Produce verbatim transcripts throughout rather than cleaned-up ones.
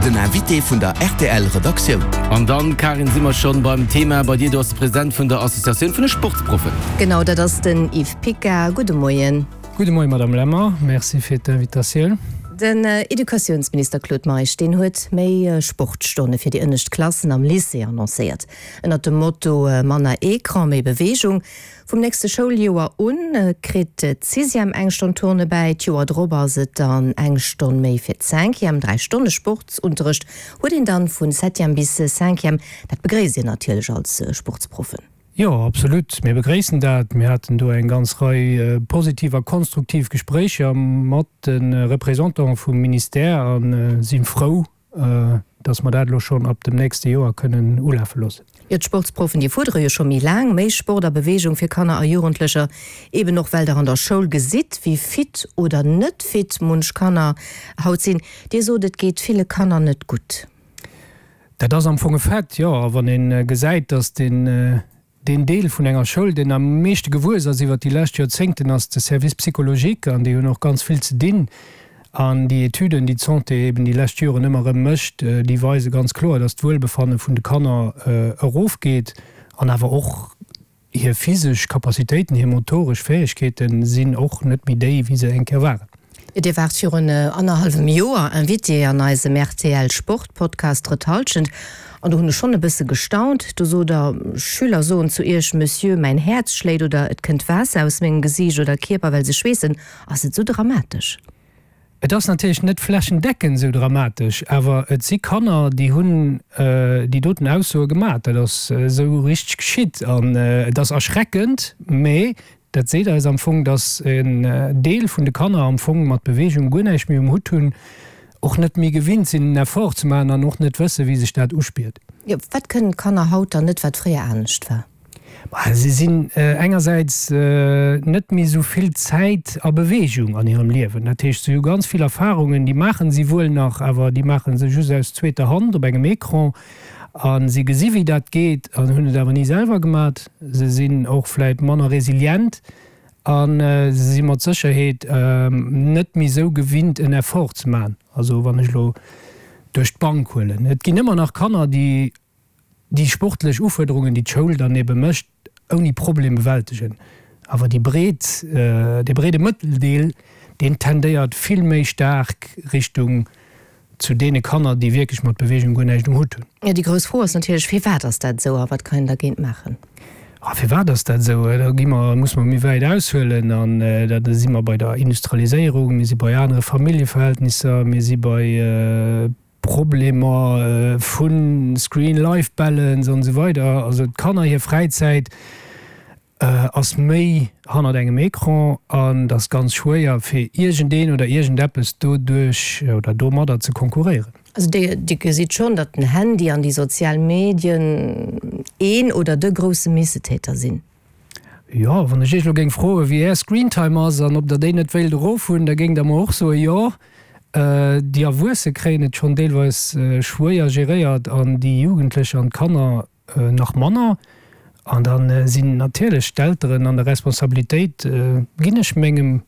Den Invité vun der rtl Redaktioun. An dann, Karin, si mer schonn beim Thema bei dir. Du ass de President vun der Associatioun vun de Sportsproffen. Genau, dat ass den Yves Pica. Gudde Moien. Gudde Moien, Madame Lemmer. Merci fir d'Invitatioun. Den Educatiounsminister Claude Meisch, deen huet méi Sportstonne fir déi ënnescht Klassen am Lycée annoncéiert. Ënnert dem Motto Manner Ecran, méi Beweegung. Vum nächste Schouljoer un kritt d'Sixième eng Stonn Turne bäi, d'Joer drop ass et dann eng Stonn méi fir d'Cinquième. Dräi Stonne Sportsunterrecht huet een dann vun Septième bis Cinquième. Dat begréisst Dir natierlech als Sportsproffen. Jo, absolut. Mir begréissen dat. Mir haten do eng ganz Rei positiv a konstruktiv Gespréicher mat de Représentante vum Ministère a si frou, dass mer dat elo schonn ab dem nächste Joer kënnen ulafe loossen. Jo, d'Sportsproffen, déi fuerdere jo scho méi laang méi Sport a Beweegung fir Kanner a Jugendlecher, eben och well Der an der Schoul gesitt, wéi fit oder net fit munch Kanner haut sinn. Dir sot, et geet ville Kanner net gutt. Dat ass am Fong e Fait, jo. A wann ee gesäit, dass den Deen Deel vun enger Schoul, deen am meeschte gewuess ass iwwert déi lescht Joerzéngten, ass de Service psychologique an déi hunn och ganz vill ze dinn. An déi Etüden, déi d'Santé eben déi lescht Joren ëmmer erëm mécht, déi weise ganz kloer, dass d'Wuelbefanne vun de Kanner erofgeet an awer och hir physesch Capacitéiten, hir motoresch Fäegkeete sinn och net méi déi, wéi se eng Kéier waren. Dir waart virun annerhallwem Joer Invité an eisem rtl Sport Podcast Drëtt Hallschent an do hunn ech schonn e bësse gestaunt. Do sot der, Schüler soen zu Iech, Monsieur, mäin Häerz schléit oder et kënnt Waasser aus mengem Gesiicht oder Kierper, well se schweessen. Ass et esou dramatesch? Et ass natierlech net flächendeckend esou dramatesch, awer et si Kanner, déi hunn déi doten Aussoe gemaach. Dat ass esou richteg geschitt an et ass erschreckend, mä Dat seet eis am Fong, dass en Deel vun de Kanner am Fong mat Beweegung guer näischt méi um Hutt hunn, och net méi gewinnt sinn en Effort ze maachen an och net wëssen, wéi sech dat uspiert. Jo, wat kënnen d'Kanner haut dann net, wat fréier anescht war? Bah, si sinn engersäits net méi esou vill Zäit a Beweegung an hirem Liewen. Dat heescht, si hu ganz vill Erfarungen, déi maachen si wuel nach, awer déi maache se just aus zweeter Hand op engem Ecran. A si gesi wéi dat geet an hunn et awer ni selwer gemat. Se sinn och vläit manner resilient a se si mat Sécherheet net méi esou gewinnt en Effort ze maachen. Also wann ech elo duerch d'Bank huelen, et ginn ëmmer nach Kanner, déi déi sportlech Ufuerderungen, déi d'Schoul dann ebe mécht, ouni Problem bewältegen. Awer déi breet, dee breede Mëtteldeel, deen tendéiert vill méi staark Richtung zu deene Kanner, déi wierklech mat Beweegung guer näischt um Hutt hunn. Jo, déi grouss Fro ass natierlech, Firwat ass dat esou a wat kann een dergéint maachen? A firwat ass dat esou? Da gi mer, musse mer méi wäit aushuelen an da si mer bei der Industrialiséierung, mir si bei anere Familljeverhältnisser, mir si bei Problemer vu Screen-Life-Balance an esou weider. Also d'Kanner hir Fräizäit ass méi hannert engem Ecran an et ass ganz schwéier fir iergendeen oder iergendeppes doduerch oder domadder ze konkurréieren. Also Dir gesitt schonn, datt den Handy an déi sozial Medien een oder de grousse Missetäter sinn? Jo, wann ech Iech elo géing froen, wéi Är Screentime ass an ob Der déi net wéilt erof hunn, da géingt Der mer och soen, jo. Déi Erwuesse kréien et schonn deelweis schwéier geréiert an déi Jugendlecher an d'Kanner nach manner. An da sinn natierlech d'Elteren an der Responsabilitéit, Ginn ech mengem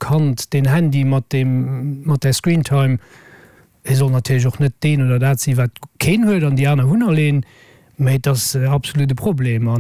Kand deen Handy mat deem, mat där Screentime? Et soll natierlech och net deen oder dat sinn, wat keen huet an déi aner hunn all een, mä et ass absolut e Problem a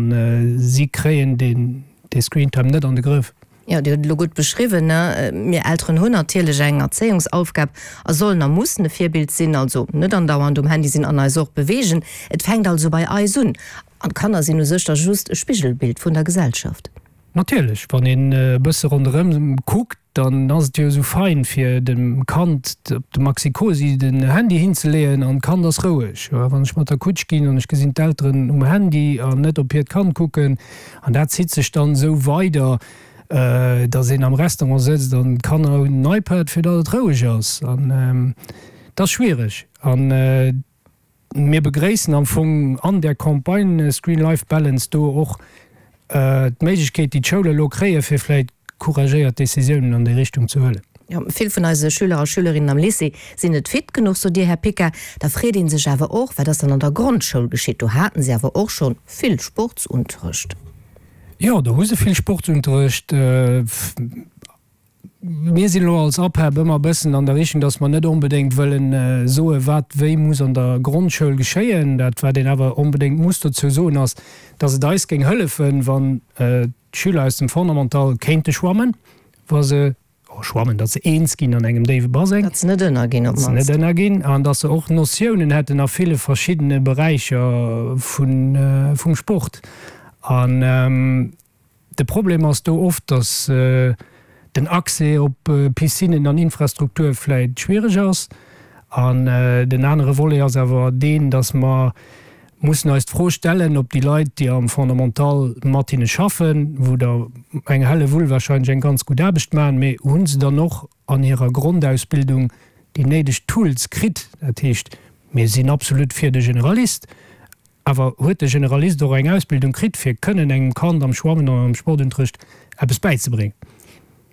si kréien deen, dee Screentime net an de Grëff. Jo, Dir hutt et elo gutt beschriwwen, ne? Mir Elteren hunn natierlech eng Erzéiungsaufgab a sollen a mussen e Virbild sinn, also net andauernd um Handy sinn an eis och beweegen. Et fänkt also bei eis un. An d'Kanner sinn u sech da just e Spigelbild vun der Gesellschaft. Natierlech, wann een e bësse ronderëm kuckt, dann ass et jo esou fein, fir dem Kand op de Maxi-Cosi den Handy hinzeleeën an d'Kand ass roueg. Wann ech mat der Kutsch ginn an ech gesinn d'Elteren um Handy an net op hiert Kand kucken, an dat zitt sech dann esou weider, dass een am Restaurant sëtzt an d'Kanner hunn en iPad, fir datt et roueg ass. An et ass schwiereg. An mir begréissen am Fong an där Campagne Screen Life Balance do och d'Méiglechkeet, déi d'Schoule elo kréien, fir vläicht couragéiert Décisiounen an déi Richtung ze huelen. Jo, vill vun eise Schüler a Schülerinnen am Lycée sinn net fit genuch, sot Dir, Här Pica. Da freet ee sech awer och, wat ass dann an der Grondschoul geschitt? Do haten se awer och schonn vill Sportsunterrecht. Jo, do hu se vill Sportsunterrecht. Mir sinn elo als APEB ëmmer e bëssen an der Richtung, datt mer net onbedéngt wëllen soen, wat wéi muss an der Grondschoul geschéien. Dat, wat een awer onbedéngt muss dozou soen, ass, datt et eis géing hëllefen, wann d'Schüler aus dem Fondamental kéinte schwammen, wa se, oh, schwammen, datt se eens ginn an engem déiwe Baseng. Datt se net ënnerginn op d'mannst. Datt se net ënnerginn an datt se och Notiounen hätten a ville verschiddene Beräicher vum Sport. An de Problem ass do oft, datt den Accès op Piscinnen an Infrastruktur vläit schwiereg ass. An den anere Volet ass awer deen, datt mer mussen eis d'Fro stellen, ob déi Leit, déi am Fondamental mat hinne schaffen, wou der eng Hellewull wahrscheinlech eng ganz gutt Aarbecht maachen, mee hu se dann och an hirer Grondausbildung déi néideg Tools kritt? Dat heescht, mir sinn absolut fir de Generalist, Awer huet de Generalist och eng Ausbildung kritt, fir kënnen engem Kand am Schwammen oder am Sportunterrecht eppes bäizebréngen?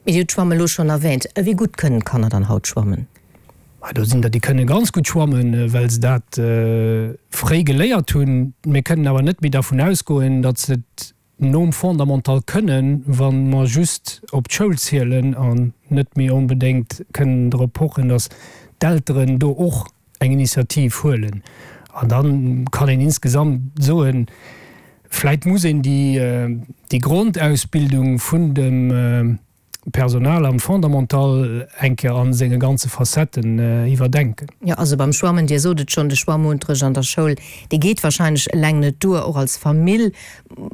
Mee Dir hutt d'Schwamme elo schonn erwähnt. Wéi gutt kënnen d'Kanner dann haut schwammen? Ma do sinn der, déi kënne ganz gutt schwammen, well se dat fréi geléiert hunn. Mir kënnen awer net méi dervun ausgoen, datt se et nom Fondamental kënnen, wa mer just op d'Schoul zielen an net méi onbedéngt kënnen drop pochen, datt d'Elteren do och eng Initiativ huelen. An da kann een insgesamt soen, vläit muss een déi Grondausbildung vun dem Personal am Fondamental eng Kéier a senge ganze Facetten iwwerdenken. Jo, also beim Schwammen, Dir sot et schonn, de Schwammunterrecht an der Schoul, dee geet wahrscheinlech eleng net duer. Och als Famill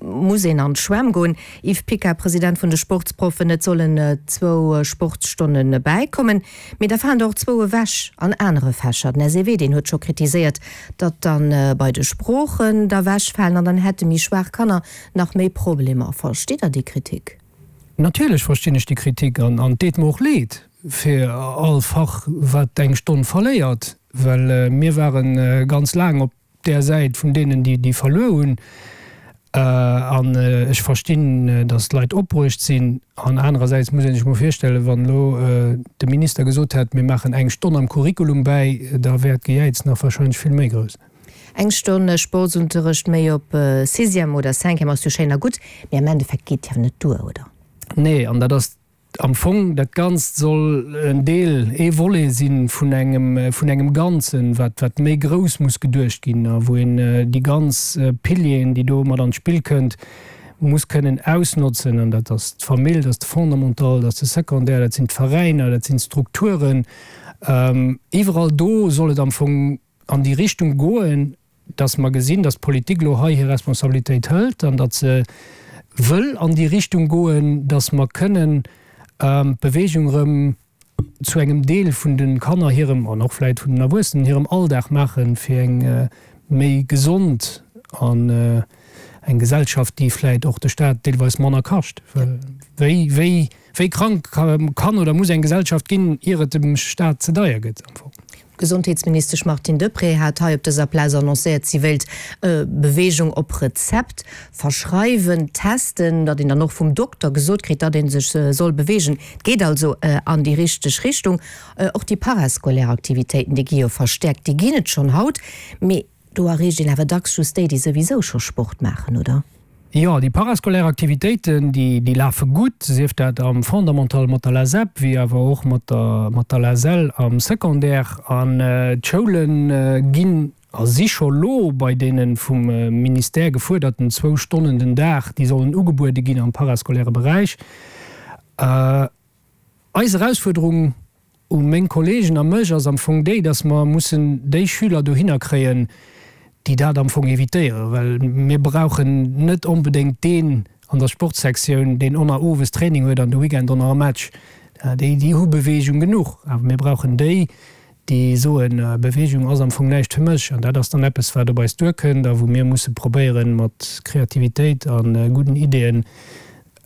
muss een an d'Schwämm goen. Yves Picard, President vun de Sportsproffen, Et sollen zwou Sportsstonne bäikommen, mee da falen der och zwou ewech an anere Fächer. Den S E W, deen huet scho kritiséiert, datt dann bei de Sproochen der ewechfalen an dann hätte méi schwaach Kanner nach méi Problemer. Verstitt Der déi Kritik? Natierlech verstinn ech déi Kritik an et deet mer och leed fir all Fach, wat eng Stonn verléiert, well mir ware ganz laang op där Säit vun deenen, déi verluer hunn. An ech verstinn, datt d'Leit opbruecht sinn. An anerersäits muss ee sech mol virstellen, wann elo de Minister gesot hätt, mir maachen eng Stonn am Curriculum bäi, da wär d'Gejäiz nach wahrscheinlech vill méi grouss. Eng Stonn Sportsunterrecht méi op Sixième oder Cinquième ass jo schéin a gutt, mee am Endeffekt geet jo net duer, oder? Nee, an dat ass am Fong, dat Ganzt soll en Deel, ee Volet si vun engem, vun engem Ganzen, wat, wat méi grouss muss geduecht ginn a wou een déi ganz Pilieren, déi do mat an d'Spill kënnt, muss kënnen ausnotzen. An dat ass d'Famill, dat ass de Fondamental, dat ass de Secondaire, dat sinn d'Veräiner, dat sinn d'Strukturen. Iwwerall do soll et am Fong an déi Richtung goen, dass mer gesinn, dass d'Politik elo hei hir Responsabilitéit hëlt an datt se wëll an déi Richtung goen, dass mer kënnen d'Bewegung erëm zu engem Deel vun de Kanner hirem, an och vläicht vun den Erwuessenen hirem Alldag maachen, fir eng méi gesond an eng Gesellschaft, déi vläicht och de Staat deelweis manner kascht. Well wéi, wéi, wéi krank kann oder muss eng Gesellschaft ginn, ier et dem Staat ze deier gëtt am Fong? D'Gesondheetsministesch Martine Deprez hat hei op dëser Plaz annoncéiert, si wéilt Beweegung op Rezept verschreiwen, testen, datt een dann och vum Dokter gesot kritt, datt ee sech soll beweegen. Et geet also an déi richteg Richtung. Och déi parascolaire Aktivitéiten, déi gi jo verstäerkt. Déi ginn et schonn haut, mee do erreecht een awer dacks just déi, déi souwisou scho Sport maachen, oder? Jo, déi parascolaire Aktivitéiten, déi lafe gutt, sief dat am Fondamental mat der LASEP, wéi awer och mat der mat der LASEL am Secondaire. An d'Schoule ginn a si scho lo bei deene vum Ministère gefuerderten zwou Stonnen den Dag, déi sollen ugebuede ginn am parascolaire Beräich. Eis Erausfuerderung u meng Kollegen a mech ass am Fong déi, dass mer mussen déi Schüler dohinner kréien, déi dat am Fong evitéieren, well mir brauchen net onbedéngt deen an der Sportsektioun, deen onnner owes Training huet an de Weekend onnner e Match. Déi, déi hu Beweegung genuch. Awer mir brauchen déi, déi soen, Beweegung ass am Fong näischt fir mech. An dat ass dann eppes, wat op eis duerkënnt a wou mir musse probéieren, mat Kreativitéit a gudden Ideeën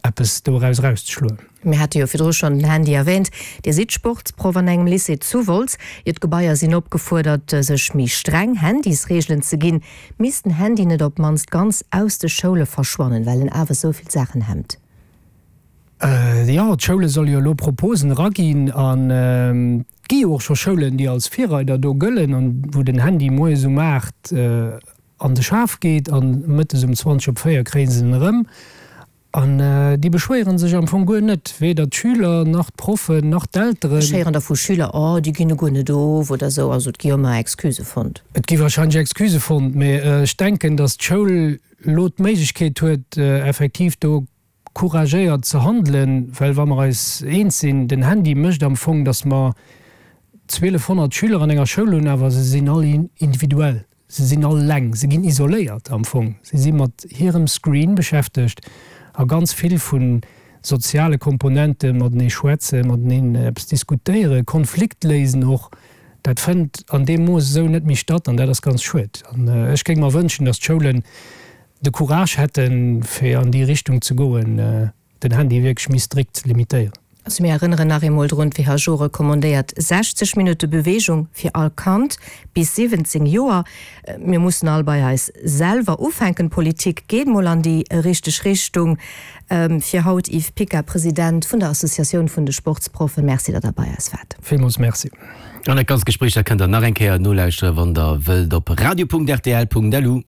eppes doraus erauszeschloen. Mir hate jo virdru schonn den Handy erwähnt. Dir sidd Sportsproff an engem Lycée zu Wolz. Jo, d'Gebaier sinn opgefuerdert, sech méi streng Handysreegelen ze ginn. Misst den Handy net op d'mannst ganz aus de Schoule verschwannen, well en awer esou vill Saachen hemmt? Jo, d'Schoule solle jo elo Proposen eraginn an et gi jo och scho Schoulen, déi als Virreider do gëllen an wou den Handy moies um aacht an de Schaf geet an mëttes um zwanzeg op véier kréie se en erëm. An déi beschwéiere sech am Fong guer net, weder d'Schüler nach d'Proffen nach d'Elteren. Ech héieren da vu Schüler, oh déi ginn guer net of oder esou. Also et gi jo ëmmer Excusë fonnt. Et gi warscheinlech Excusë fonnt, mee ech denken, datt d'Schoul elo d'Méiglechkeet huet, effektiv do couragéiert ze handelen, well wa mer eis eens sinn, den Handy mécht am Fong, datt mer zwielefhonnert Schüler an enger Schoul hunn, awer se sinn all individuell. Se sinn all eleng, se ginn isoléiert am Fong. Se si mat hirem Screen beschäftegt a ganz vill vu soziale Komponenten, matenee schwätzen, mateneen eppes diskutéieren, Konflikt léisen och, dat fënnt an deem Mooss esou net méi statt an dat ass ganz schued. An ech géing mer wënschen, datt d'Schoulen de Courage hätten, fir an déi Richtung ze goen, den Handy wierklech méi strikt ze limitéieren. Also mir erënneren nach eemol drun, d'WHO recommandéiert sechzeg Minutte Beweegung fir all Kand bis siwwenzéng Joer. Mir mussen all bei eis selwer ufänken. D'Politik geet mol an déi richteg Richtung. Fir haut, Yves Picker, President vun der Associatioun vun de Sportsproffen, Merci, datt Der bei eis waart. Villmools Merci. An dat ganzt Gespréich, dat kënnt Der nach eng Kéier nolauschteren, wann Der wëllt, op radio.rtl.lu.